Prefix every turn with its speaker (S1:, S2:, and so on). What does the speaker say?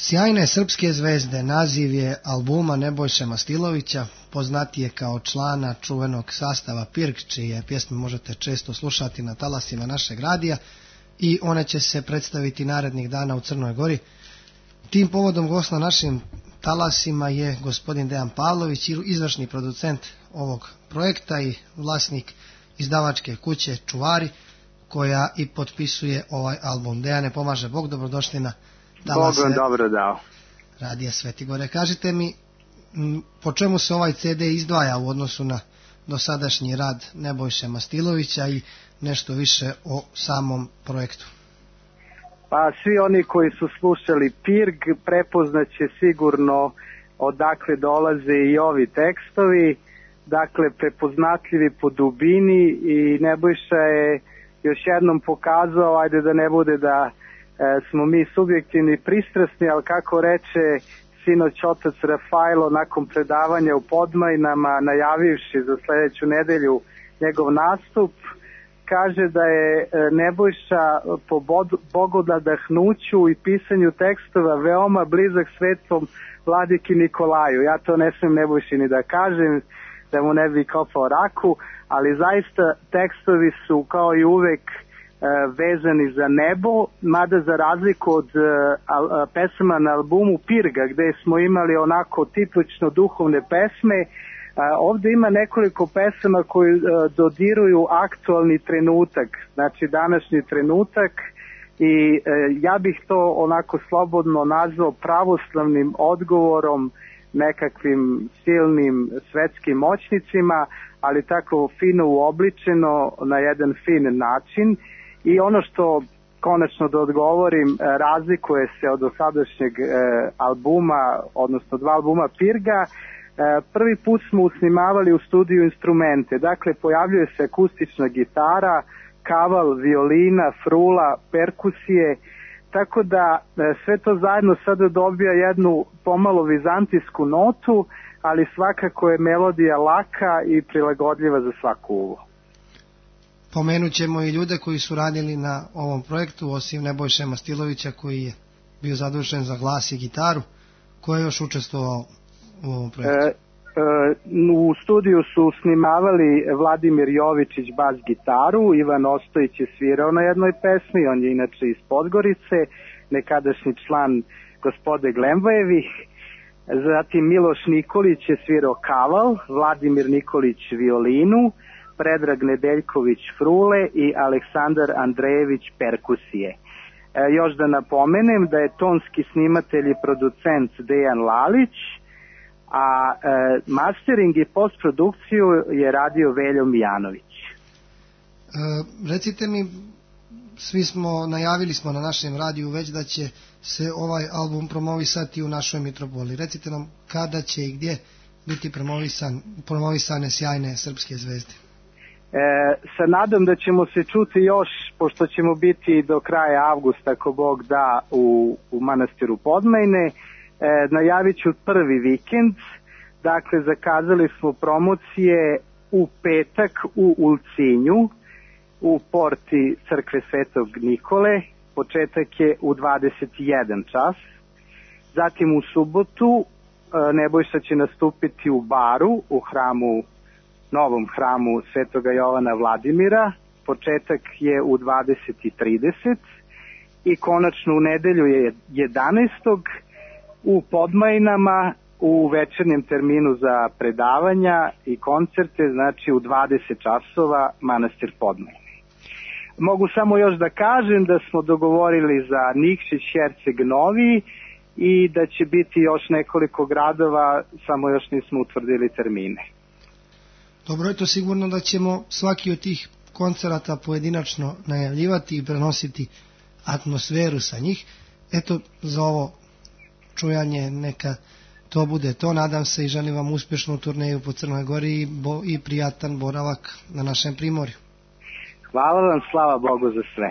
S1: Sjajne srpske zvezde naziv je albuma Nebojše Mastilovića, poznatije kao člana čuvenog sastava Pirg, čije pjesme možete često slušati na talasima našeg radija i one će se predstaviti narednih dana u Crnoj Gori. Tim povodom gost na našim talasima je gospodin Dejan Pavlović, izvršni producent ovog projekta i vlasnik izdavačke kuće Čuvari, koja i potpisuje ovaj album. Dejane, pomaže Bog, dobrodošli na talase
S2: dobro dao.
S1: Radija Sveti Gore. Kažite mi, po čemu se ovaj CD izdvaja u odnosu na dosadašnji rad Nebojše Mastilovića i nešto više o samom projektu?
S2: Pa svi oni koji su slušali Pirg prepoznaće sigurno odakle dolaze i ovi tekstovi, dakle prepoznatljivi po dubini, i Nebojša je još jednom pokazao, ajde da ne bude da smo mi subjektivni i pristrasni, ali kako reče sinoć otac Rafailo nakon predavanja u Podmajnama, najavivši za sledeću nedelju njegov nastup, kaže da je Nebojša po bogonadahnuću i pisanju tekstova veoma blizak svetom vladiki Nikolaju. Ja to ne smijem Nebojši ni da kažem, da mu ne bi kopao raku, ali zaista tekstovi su kao i uvek vezani za nebo, mada za razliku od pesama na albumu Pirga, gde smo imali onako tipično duhovne pesme, ovde ima nekoliko pesama koji dodiruju aktualni trenutak, znači današnji trenutak, i ja bih to onako slobodno nazvao pravoslavnim odgovorom nekakvim silnim svetskim moćnicima, ali tako fino uobličeno na jedan fin način. I ono što konačno da odgovorim, razlikuje se od dosadašnjeg albuma, odnosno dva albuma Pirga. Prvi put smo usnimavali u studiju instrumente, dakle pojavljuje se akustična gitara, kaval, violina, frula, perkusije, tako da sve to zajedno sada dobija jednu pomalo vizantijsku notu, ali svakako je melodija laka i prilagodljiva za svaku uvo.
S1: Pomenut ćemo i ljude koji su radili na ovom projektu, osim Nebojše Mastilovića koji je bio zadužen za glas i gitaru. Ko je još učestvovao u ovom projektu?
S2: U studiju su snimavali Vladimir Jovičić bas gitaru, Ivan Ostojić je svirao na jednoj pesmi, on je inače iz Podgorice, nekadašnji član Gospode Glemvajevih, zatim Miloš Nikolić je svirao kaval, Vladimir Nikolić violinu, Predrag Nedeljković frule i Aleksandar Andrejević perkusije. Još da napomenem da je tonski snimatelj i producent Dejan Lalić, a mastering i postprodukciju je radio Veljo Mijanović.
S1: Recite mi, najavili smo na našem radiju već da će se ovaj album promovisati u našoj Mitropoli. Recite nam kada će i gdje biti promovisane sjajne srpske zvezde.
S2: Sa nadom da ćemo se čuti još, pošto ćemo biti do kraja avgusta, ako Bog da, u manastiru Podmajne. Najavit ću prvi vikend, dakle zakazali smo promocije u petak u Ulcinju, u porti crkve Svetog Nikole, početak je u 21 čas, zatim u subotu Nebojša će nastupiti u Baru, u novom hramu Svetoga Jovana Vladimira, početak je u 20:30 i konačno u nedelju je 11. u Podmajnama u večernjem terminu za predavanja i koncerte, znači u 20 časova manastir Podmajne. Mogu samo još da kažem da smo dogovorili za Nikšić, Herceg Novi i da će biti još nekoliko gradova, samo još nismo utvrdili termine.
S1: Dobro je to sigurno da ćemo svaki od tih koncerata pojedinačno najavljivati i prenositi atmosferu sa njih. Eto, za ovo čujanje neka to bude to. Nadam se i želim vam uspješnu turneju po Crnoj Gori i prijatan boravak na našem primorju.
S2: Hvala vam, slava Bogu za sve.